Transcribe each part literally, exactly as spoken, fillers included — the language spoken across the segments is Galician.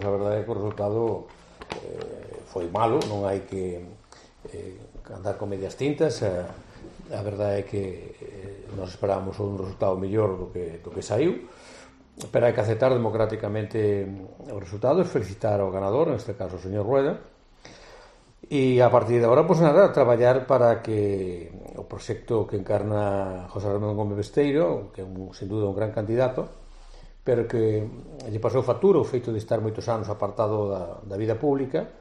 A verdade é que o resultado eh, foi malo, non hai que eh, andar con medias tintas. A, a verdade é que eh, nos esperábamos un resultado mellor do que, do que saiu, pero hai que aceptar democráticamente os resultados, felicitar ao ganador, neste caso o señor Rueda, e a partir de agora, pois nada, traballar para que o proxecto que encarna José Ramón Gómez Besteiro, que é un, sin duda un gran candidato, pero que lle pasou factura o feito de estar moitos anos apartado da, da vida pública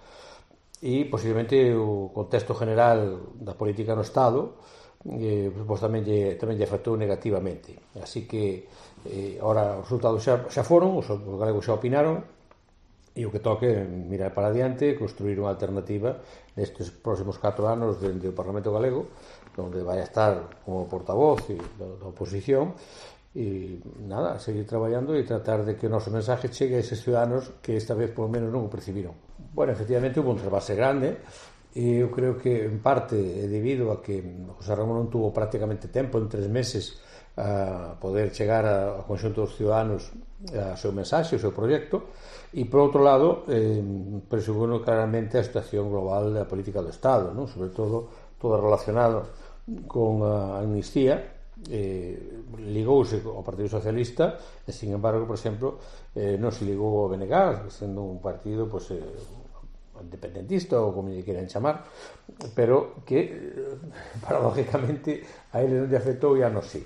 e posiblemente o contexto general da política no Estado eh, pois tamén lle, tamén lle afectou negativamente. Así que eh, ahora os resultados xa, xa foron, os, os galegos xa opinaron, e o que toque é mirar para adiante, construir unha alternativa nestes próximos catro anos dentro do Parlamento Galego, onde vai a estar como portavoz da oposición, e nada, seguir traballando e tratar de que o noso mensaje chegue a eses ciudadanos que esta vez polo menos non o percibiron. Bueno, efectivamente houve un trasvase grande, e eu creo que en parte é debido a que José Ramón non tuvo prácticamente tempo en tres meses a poder chegar ao conxunto dos ciudadanos a seu mensaxe, o seu proxecto, e por outro lado eh, presupono claramente a situación global da política do Estado, non? Sobre todo todo relacionado con a amnistía. Eh, ligouse ao Partido Socialista e, sin embargo, por exemplo, eh, non se ligou ao B N G, sendo un partido pues, eh, independentista ou como lle queren chamar, pero que paradójicamente a ele non lle afectou e a nos sí,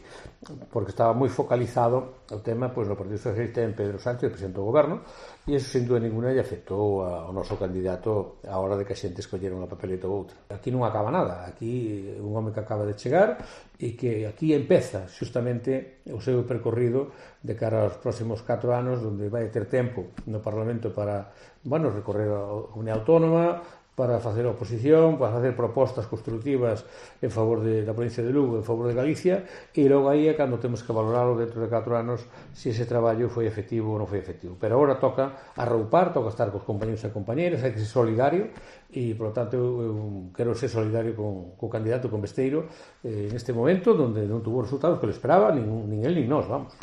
porque estaba moi focalizado o tema pues, no Partido Socialista en Pedro Sánchez, presidente do goberno, e iso sin dúda ninguna lle afectou ao noso candidato a hora de que a xente escollera unha papeleta ou outra. Aquí non acaba nada, aquí un home que acaba de chegar e que aquí empeza xustamente o seu percorrido de cara aos próximos catro anos, onde vai ter tempo no Parlamento para, bueno, recorrer a comunidade autónoma, para facer oposición, para facer propostas constructivas en favor de, da provincia de Lugo, en favor de Galicia, e logo aí é cando temos que valorarlo dentro de catro anos se ese traballo foi efectivo ou non foi efectivo. Pero agora toca arroupar, toca estar cos compañeros e compañeras, hai que ser solidario, e, por lo tanto, eu, eu quero ser solidario con, co candidato, con Besteiro, eh, neste momento, onde non tuvo resultados que le esperaba, nin, nin el nin nós, vamos.